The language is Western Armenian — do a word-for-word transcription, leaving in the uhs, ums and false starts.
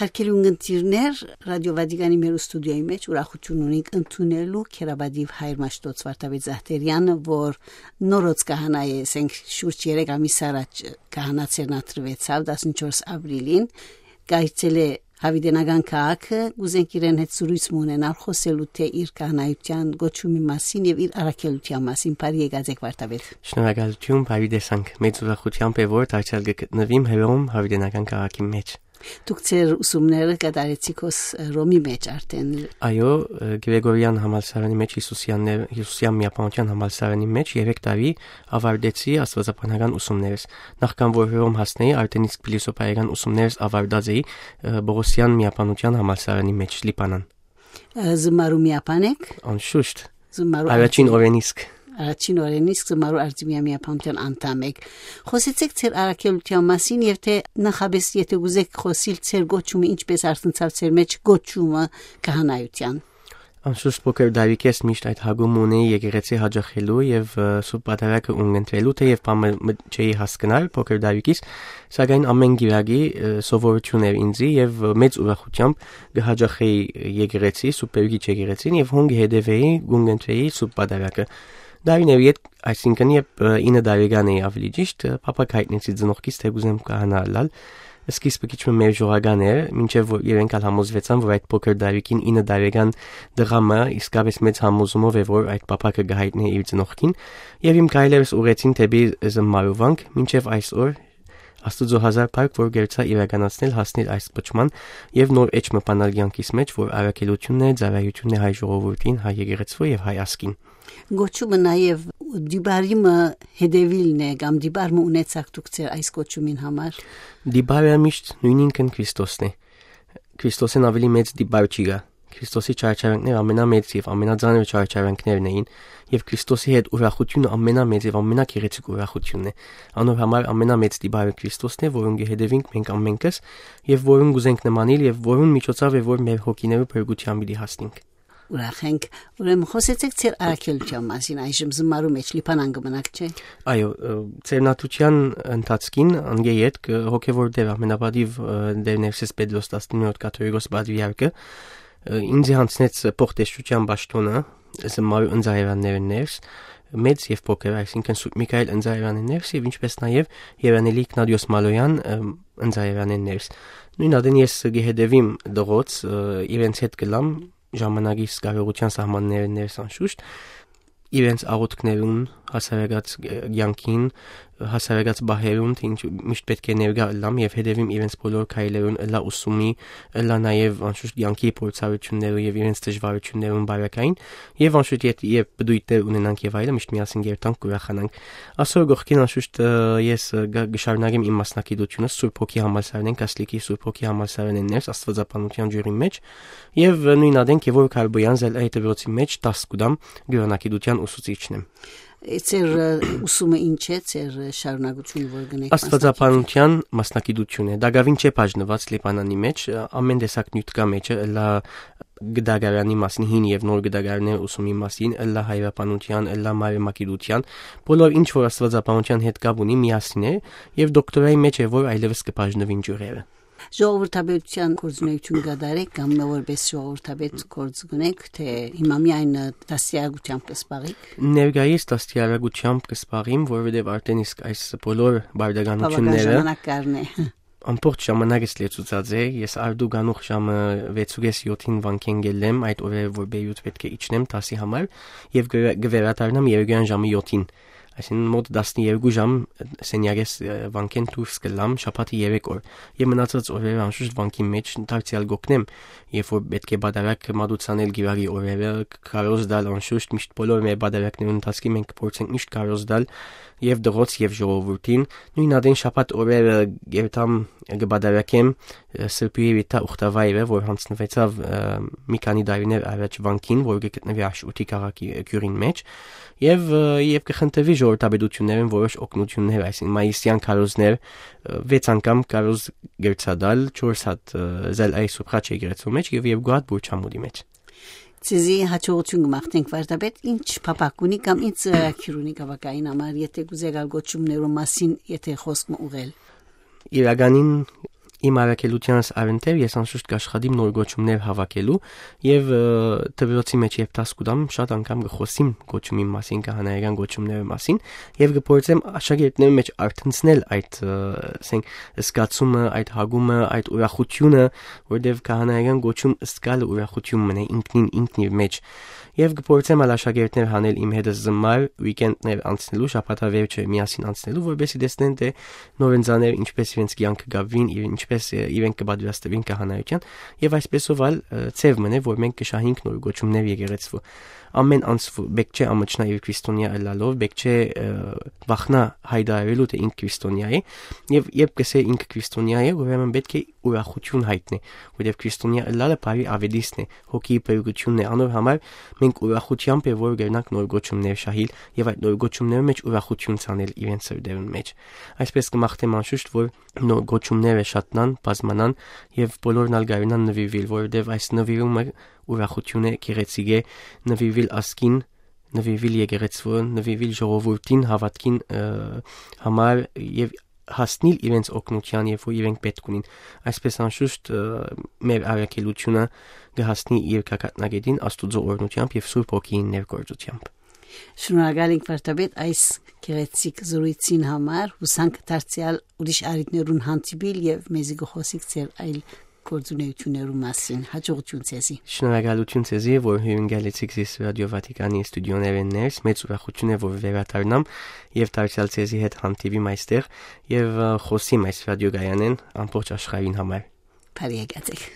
Արկելուն ընտիրներ, Ռադիո Վատիկանի մեր ստուդիոյի մեջ ուրախութիւն ունենք ընդունելու քերապատիւ հայր Մաշտոց Վարդապետ Զահտերյանը, որ նորոց կահանայ է, ասենք, շուրջ երեք ամիս առաջ կահանա ցերնատրուեցաւ, տասնչորս ապրիլին, կայցելէ Յաւիտենական քաղաքը, կուզենք իրեն հետ զրոյց մը ունենալ, խօսելու թէ իր կահանայութեան գոչումի մասին եւ իր առաքելութեան մասին։ Բարի եկած եք, Վարդապետ։ Շնորհակալութիւն, բարի տեսանք։ Մեծ ուրախութեամբ է, որ դարձեալ կը գտնուիմ Հռոմ Յաւիտենական քաղաքի մեջ։ Դուք ձեր ուսումները կատարեցիք հոս Հռոմի մեջ արդէն։ Այո, Գրեգորեան համալսարանի մեջ, Յիսուսեաններ-, Յիսուսեան միաբանության համալսարանի մեջ երեք տարի ավարտեցի աստուածաբանական ուսումներս։ Նախքան որ Հռոմ հասնեի, արդեն իսկ փիլիսոփայական ուսումներս ավարտած էի, ը, Պողոսեան միաբանության համալսարանի մեջ, Լիբանան։ Ը, զմարու միաբան եք։ Անշուշտ։ Զմարու Առաջին արտի- օրէն իսկ։ Առաջին օրէն իսկ զմարու արտի միաբանության անդամ եք։ Խօսեցեք ձեր առաքելութեան մասին եւ թէ նախապէս, եթէ կուզեք խօսիլ, ձեր գոչումը ինչպէս արթնցաւ ձեր մեջ, գոչումը կահանայութեան։ Անշուշտ փոքր դարիքէս միշտ այդ հակումը ունեի եկեղեցի յաճախելու եւ, ը, Սուրբ Պատարագը ունկնդրելու, թէեւ բան մը, մը չէի հասկնար փոքր դարիքիս, սակայն ամէն գիրագի, ը, սովորութիւն էր ինձի եւ, ը, մեծ ուրախութեամբ կը յաճախեի եկեղեցի, Սուրբ Գեորգի եկեղեցին, եւ հոն կը հետեւէի, կունկնդրէի Սուրբ Պատարագը։ Դարիներ յետ, այսինքն, երբ, ը, ինը տարեկան էի, ավելի ճիշտ, ը, փափաք յայտնեցի ծնողքիս, թէ կուզեմ կահանայ ըլլալ։ Սկիզբը քիչ մը մերժողական էր, մինչեւ որ իրենք ալ համոզուեցան, որ այդ փոքր դարիքին, ինը տարեկան տղայ մը իսկապէս մեծ համոզումով է, որ այդ փափաքը կը յայտնէ իր ծնողքին, եւ իմ քայլերս ուղղեցին դէպի զմարու վանք, մինչեւ այսօր Աստուծոյ հազար փառք, որ կրցայ իրականացնել, հասնիլ այս կոչման եւ նոր էջ մը բանալ կեանքիս մեջ, որ առաքելութիւնն է, ծառայութիւնն է հայ ժողովուրդին, հայ եկեղեցւոյ եւ հայ ազգին։ Գոչումը նաեւ դիպարի մը հետեւիլն է, կամ դիպար մը ունեցաք դուք ձեր այս կոչումին համար։ Դիպարը միշտ նոյնինքն Քրիստոսն է։ Քրիստոսէն աւելի մեծ դիպար չի գայ։ Քրիստոսի չարչարանքները ամենամեծ եւ ամենածանր չարչարանքներն էին, եւ Քրիստոսի հետ ուրախութիւնը ամենամեծ եւ ամենագեղեցիկ ուրախութիւնն է։ Անոր համար ամենամեծ դիպարը Քրիստոսն է, որուն կը հետեւինք մենք ամենքս, եւ որուն կուզենք նմանիլ, եւ որուն միջոցաւ է, որ մեր հոգիներու փրկութեան պիտի հասնենք։ Ուրախ ենք։ Ուրեմն խօսեցեք ձեր առաքելութեան մասին, այժմ զմարու մեջ Լիբանան կը մնաք, չէ՞։ Այո, ը, ծերնատուչեան ընթացքին անգեյետ կը հոգեվոր դեր ամենապատիվ, ը, դեր Ներսես Պետրոս տասնիններորդ կաթողիկոս պատրիարքը, ը, ինձի յանձնեց փոխտեսչութեան պաշտօնը, զմարու ընծայերաններն ներս, մեծ եւ փոքր, այսինքն Սուրբ Միքայել ընծայերանին ներս եւ ինչպէս նաեւ Երանելի Իգնատիոս Մալոյան, ը, ընծայերանին ներս։ Նոյն ատեն ես կը հետեւիմ դղոց, ը, իրենց հետ կլամ, ժամանակիս կարողութեան սահմաններն ներս անշուշտ, իրենց աղոթքներուն, հասարակաց կեանքին, հասարակաց պահերուն, թէ ինչ միշտ պէտք է ներկայ ըլլամ եւ հետեւիմ իրենց բոլոր քայլերուն, ըլլայ ուսումի, ըլլայ նաեւ անշուշտ կեանքի փորձառութիւններու եւ իրենց դժվարութիւններուն բարակային, եւ անշուշտ եթ-, երբ պտոյտներ ունենանք եւ այլը, միշտ միասին կերթանք, կուրախանանք։ Ասոր կողքին անշուշտ, ը, ես, ը, գ-, կշարունակեմ իմ մասնակցությունը Սուրբ Հոգի համալսարանեն, Կասլիկի Սուրբ Հոգի համալսարանեն ներս, աստվածաբանության ջուրին մեջ, եւ, ը, նոյն ատեն Գևորգ Հարբոյան Զելայի դպրոցի մեջ դաս կու տամ, կրօնագիտության ուսուցիչն եմ։ Է, ձեր, ը, ուսումը ինչ է, ձեր, ը, շարունակությունը, որ կնեք Աստվածաբանության մասնակցությունը տակաւին չէ բաժնուած Լիբանանի մեջ, ը, ամեն տեսակ նիւթ կայ մեջը, ըլլայ գդագարանի մասին, հին եւ նոր գդագարներ ուսումի մասին, ըլլայ հայրաբանության, ըլլայ մարմագիտության, բոլոր ինչ որ աստվածաբանության հետ կապ ունի, միասին է, եւ դոկտորայի մեջ է, որ այլեւս կը բաժնուին ջուրերը։ Ժողովրդապետութեան գործունեութիւն կատարեք կամ որպէս ժողովրդապետ գործ կունեք, թէ հիմա միայն, ը, դաստիարակութեամբ կը զբաղիք։ Ներկայիս դաստիարակութեամբ կը զբաղիմ, որովհետեւ արդեն իսկ այս բոլոր Բավական պարտականությունները ժամանակ կառնէ։ Ամբողջ ժամանակս լեցուցած է, ես արդու գանուխ ժամը վեցուկես յոթին վանքէն գելլեմ, այդ օրերը որ Բեյրութ պէտք է իջնեմ դասի համար, եւ կը-, կը վերադառնամ երեկոյան ժամը յոթին, այսինքն մոտ տասներկու ժամ սենյակես, ը, վանքէն դուրս կլամ շաբաթի երեք օր, եւ մնացած օրերը անշուշտ վանքի մեջ դարձեալ կօգնեմ, երբ որ պէտք է պատարագ մատուցանել գիրագի օրերը, ք-, քարոզ դալ անշուշտ, միշտ բոլոր մեր պատարագներուն ընթացքին մենք կփորձենք միշտ քարոզ դալ եւ դղոց եւ ժողովուրդին, նոյն ատեն շաբաթ օրերը երթամ կը պատարագեմ, ը, Սրբի Վիթա Ուխտավայրը, որ յանձնուեցաւ, ը, մի քանի տարիներ առաջ վանքին, որ կը գտնուի Աշ ութի քաղաքի, ը, գիւղին մեջ, եւ, ը, եւ կը խնդրուի ժողովրդապետություններէն որոշ օգնություններ, այսինքն մայիսեան քարոզներ, ը, վեց անգամ քարոզ կրցա տալ, չորս հատ, ը, Զելայի Սուրբ Խաչ եկեղեցու մեջ եւ երկու հատ Բուրչամուտի մեջ։ Ձեզի յաջողութիւն կը մաղթենք, Վարդապետ, ինչ փափաք ունի կամ ինչ ծրագիր ունի գավակային համար, եթէ կուզեք ալ գոչումներու մասին, եթէ խոսք մը ուղղել։ Իրականին Իմ առաքելութեանս առընթեր ես անշուշտ կաշխատիմ նոր կոչումներ հաւաքելու եւ, ը, դպրոցի մէջ երբ դաս կու տամ, շատ անգամ կը խօսիմ կոչումին մասին, քահանայական կոչումներու մասին, եւ կը փորձեմ աշակերտներու մէջ արթնցնել այդ, ը, ասենք, զգացումը, այդ հագումը, այդ ուրախությունը, որտեւ քահանայական կոչում զգալը ուրախություն մնայ ինքնին, ինքն իր մէջ։ Եւ կը փորձեմ ալ աշակերտներ հանել իմ հետս զմար, weekend-ներ անցնելու, շաբաթավերջը միասին անցնելու, որպեսզի տեսնեն, թէ նորընծաները ինչպես իրենց կեանքը կապուին, իր, ինչպես, ը, իրենք կը պատրաստուին քահանայութեան, եւ այսպեսով ալ, ը, ձեւ մնայ, որ մենք կը շահենք նոր կոչումներ եկեղեցու։ Ամեն անձ պէտք չէ ամչնայ իր քրիստոնեայ ըլլալով, պէտք չէ, ը, վախնայ հայտարարելու, թէ ինք քրիստոնեայ է, եւ երբ կ'ըսէ ինքը քրիստոնեայ է, ուրեմն պէտք է ուրախություն յայտնէ, որովհետեւ քրիստոնեայ ըլլալը բարի աւետիսն է, հոգիի բերկութիւնն է, անոր համար մենք ուրախութեամբ է, որ կրնանք նոր կոչումներ շահիլ եւ այդ նոր կոչումներու մէջ ուրախություն ցանել իրենց սրտերուն մէջ։ Այսպէս կը մաղթեմ անշուշտ, որ նոր կոչումները շատնան, բազմանան եւ բոլորն ալ կարենան նուիրուիլ, որովհետեւ այս նուիրումը ուրախություն է, գեղեցիկ է, նուիրուիլ ազգին, նուիրուիլ եկեղեցւոյ, նուիրուիլ ժողովուրդին, հաւատքին, ը, համար եւ հասնիլ իրենց օգնութեան, երբ որ իրենք պէտք ունին։ Այսպէս անշուշտ, ը, մեր առաքելութիւնը կը հասնի իր գագաթնակետին Աստուծոյ օրհնութեամբ եւ Սուրբ Հոգիին ներգործութեամբ։ Շնորհակալ ենք վարդապետ այս գեղեցիկ զրույցին համար, յուսանք դարձեալ ուրիշ առիթներուն հանդիպիլ եւ մեզի կը խօսիք ձեր այլ գործունեութիւններու մասին։ Յաջողութիւն ձեզի։ Շնորհակալութիւն ձեզի, որ հիւրընկալեցիք զիս Ռադիօ Վատիկանի ստուդիոներէն ներս, մեծ ուրախութիւն է, որ վերադառնամ եւ դարձեալ ձեզի հետ հանդիպիմ այստեղ եւ, ը, խօսիմ այս ռադիոկայանէն ամբողջ աշխարհին համար։ Բարի եկած եք։